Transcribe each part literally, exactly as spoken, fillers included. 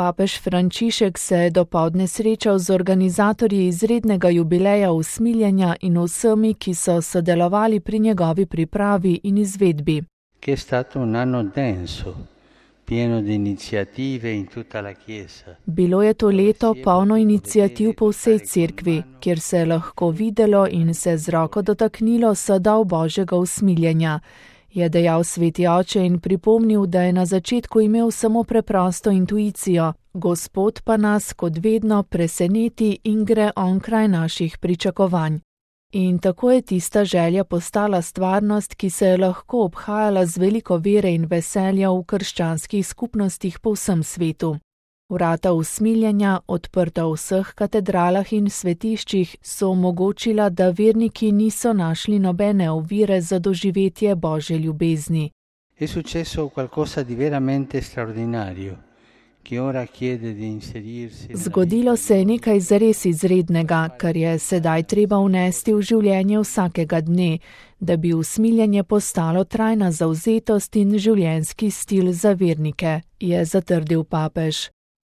Papež Frančišek se je dopoldne srečal z organizatorji izrednega jubileja usmiljenja in vsemi, ki so sodelovali pri njegovi pripravi in izvedbi. Che è stato un anno denso, pieno di iniziative in tutta la Chiesa. Bilo je to leto polno iniciativ po vsej cerkvi, kjer se je lahko videlo in se z roko dotaknilo sadov Božjega usmiljenja, je dejal sveti oče in pripomnil, da je na začetku imel samo preprosto intuicijo, Gospod pa nas kot vedno preseneti in gre onkraj naših pričakovanj. In tako je tista želja postala stvarnost, ki se je lahko obhajala z veliko vere in veselja v krščanskih skupnostih po vsem svetu. Vrata usmiljenja, odprta v vseh katedralah in svetiščih, so omogočila, da verniki niso našli nobene ovire za doživetje Božje ljubezni. È successo qualcosa di veramente straordinario. Zgodilo se je nekaj zares izrednega, kar je sedaj treba vnesti v življenje vsakega dne, da bi usmiljenje postalo trajna zavzetost in življenjski stil za vernike, je zatrdil papež.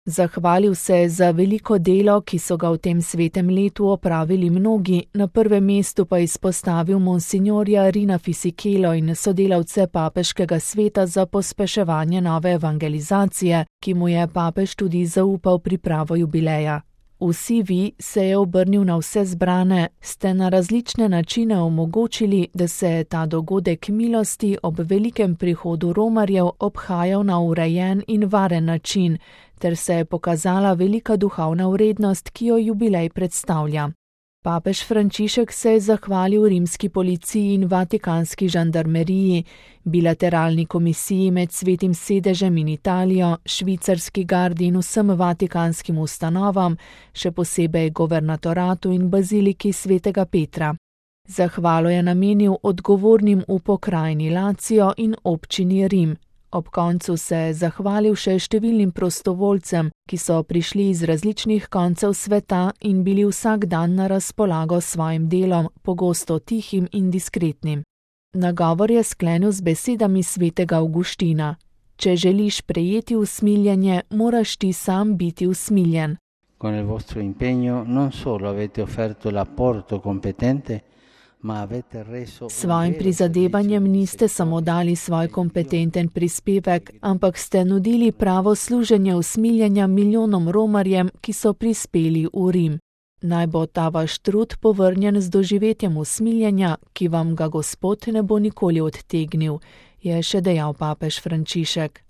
Zahvalil se je za veliko delo, ki so ga v tem svetem letu opravili mnogi, na prvem mestu pa izpostavil monsignorja Rina Fisichelo in sodelavce papeškega sveta za pospeševanje nove evangelizacije, ki mu je papež tudi zaupal pripravo jubileja. Vsi vi, se je obrnil na vse zbrane, ste na različne načine omogočili, da se je ta dogodek milosti ob velikem prihodu romarjev obhajal na urejen in varen način, ter se je pokazala velika duhovna vrednost, ki jo jubilej predstavlja. Papež Frančišek se je zahvalil rimski policiji in vatikanski žandarmeriji, bilateralni komisiji med Svetim sedežem in Italijo, švicarski gardi in vsem vatikanskim ustanovam, še posebej governatoratu in baziliki svetega Petra. Zahvalo je namenil odgovornim v pokrajini Lazio in občini Rim. Ob koncu se je zahvalil še številnim prostovoljcem, ki so prišli iz različnih koncev sveta in bili vsak dan na razpolago s svojim delom, pogosto tihim in diskretnim. Nagovor je sklenil z besedami svetega Avguština: Če želiš prejeti usmiljenje, moraš ti sam biti usmiljen. Con il vostro impegno non solo avete offerto l'apporto competente, S svojim prizadevanjem niste samo dali svoj kompetenten prispevek, ampak ste nudili pravo služenje usmiljenja milijonom romarjem, ki so prispeli v Rim. Naj bo ta vaš trud povrnjen z doživetjem usmiljenja, ki vam ga Gospod ne bo nikoli odtegnil, je še dejal papež Frančišek.